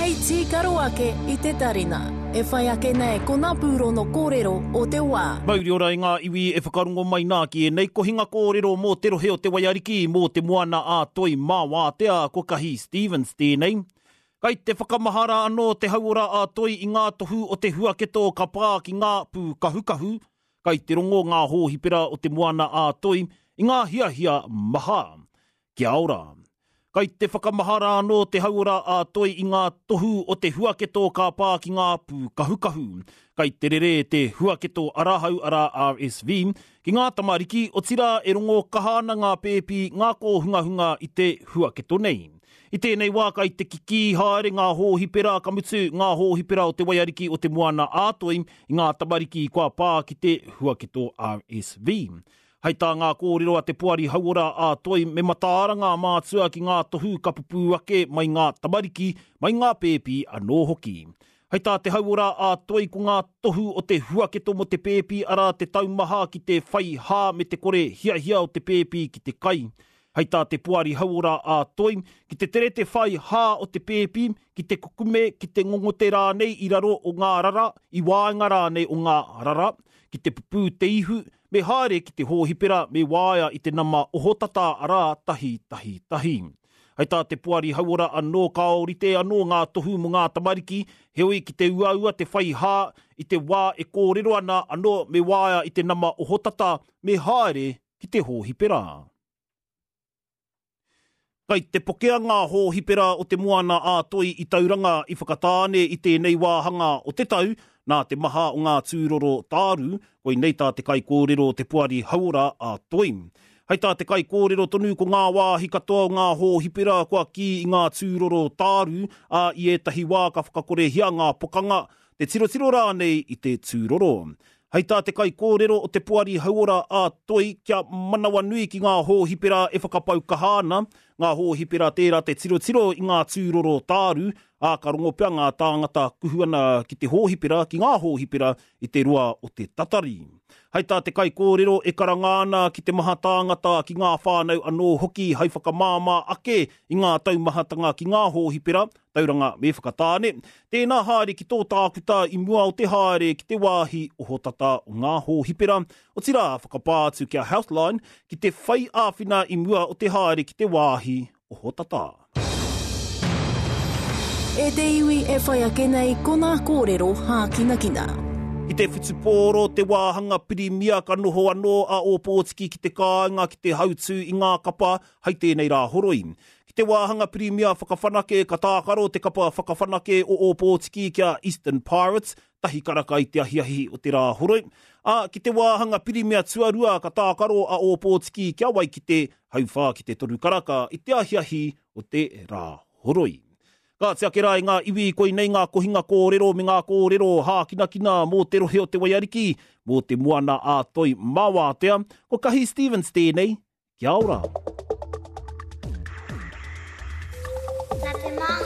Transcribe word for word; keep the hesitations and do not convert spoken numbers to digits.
Hei tīkaro ake i te tarina. E whai ake nei ko ngā pūrono kōrero o te wā. Mauri ora i ngā iwi e whakarongo mai nā ki ēnei kohinga kōrero mō te rohe o te Waiariki, mō te moana a Toi mā wātea, ko Kahi Stevens tēnei. Kai te whakamahara anō te hauora a Toi i ngā tohu o te huaketo ka pā ki ngā pūkahukahu, kai te rongo ngā hōhipera o te moana a Toi i ngā hiahia maha. Kia ora. Kai te whakamahara anō te hauora a Toi i ngā tohu o te huaketo ka pā ki ngā pūkahukahu. Kai te rere te huaketo arahau ara R S V ki ngā tamariki, otirā e rongo kaha ana ngā pēpi ngā kōhungahunga i te huaketo nei. I tēnei wā kai te kikī haere ngā hōhipera ka mutu ngā hōhipera o te Waiariki o te Moana a Toi i ngā tamariki kua pā ki te huaketo R S V. Hei tā ngā kōrero a te Poari Hauora a Toi me mataara ngā mātua ki ngā tohu ka pupū ake mai ngā tamariki, mai ngā pēpi anō hoki. Hei tā te Hauora a Toi ko ngā tohu o te huaketo mo te pēpi arā te taumaha ki te whai hā me te kore hiahia o te pēpi ki te kai. Hei tā te Poari Hauora a Toi, ki te tere te whai hā o te pēpi, ki te kukume, ki te ngongote rānei i raro o ngā rara, i waenga rānei o ngā rara, ki te pupū te ihu, me haere ki te hōhipera me waea i te nama ohotata arā tahi tahi tahi. Hei tā te Poari Hauora anō kāorite anō ngā tohu mō ngā tamariki, heoi ki te uaua te whai hā i te wā e kōrero ana anō me waea i te nama ohotata me haere ki te hōhipera. Kai te pokea ngā hōhipera o te Moana a Toi i Tauranga i Whakatāne i tēnei wāhanga o te tau, nā te maha o ngā tūroro tāru, koinei tā te kaikōrero o te Poari Hauora a Toi. Hei tā te kaikōrero tonu ko ngā wāhi katoa o ngā hōhipera kua kī i ngā tūroro tāru, ā i ētahi wā ka whakakorehia ngā pokanga, te tirotiro rānei i te tūroro. Hei tā te kaikōrero o te Poari Hauora a Toi kia manawanui ki ngā hōhipera e whakapau kaha ana, ngā hōhipera tērā te tirotiro i ngā tūroro tāru, ā ka rongo pea ngā tāngata kuhu ana ki te hōhipera, ki ngā hōhipera i te roa o te tatari. Hei tā te kaikōrero e karanga ana ki te maha tāngata ki ngā whānau anō hoki hei whakamāmā ake i ngā taumahatanga ki ngā hōhipera, Tauranga me Whakatāne, tēnā haere ki tō tākuta i mua o te haere ki te wāhi ohotata o ngā hōhipera, otirā whakapā atu kia Healthline ki te whai āwhina i mua o te haere ki te wāhi ohotata. E te iwi e whai ake nei ko ngā kōrero hākinakina. Ki te whutupōro te wāhanga pirimia ka noho anō a Ōpōtiki ki te kāinga ki te hautū i ngā kapa hei tēnei rā horoi. Ki te wāhanga pirimia whakawhanake ka tākaro te kapa whakawhanake o Ōpōtiki kia Eastern Pirates, tahi karaka i te ahiahi o te rā horoi. Ā, ki te wāhanga pirimia tuarua ka tākaro a Ōpōtiki kia Waikite, hauwhā ki te toru karaka i te ahiahi o te rā horoi. Ka tiake rā i ngā iwi koinei ngā kohinga kōrero me ngā kōrero hākinakina mō te rohe o te Waiariki, mō te Moana a Toi Mawātea, ko Kahi Stevens tēnei, kia ora. Nā te māngai.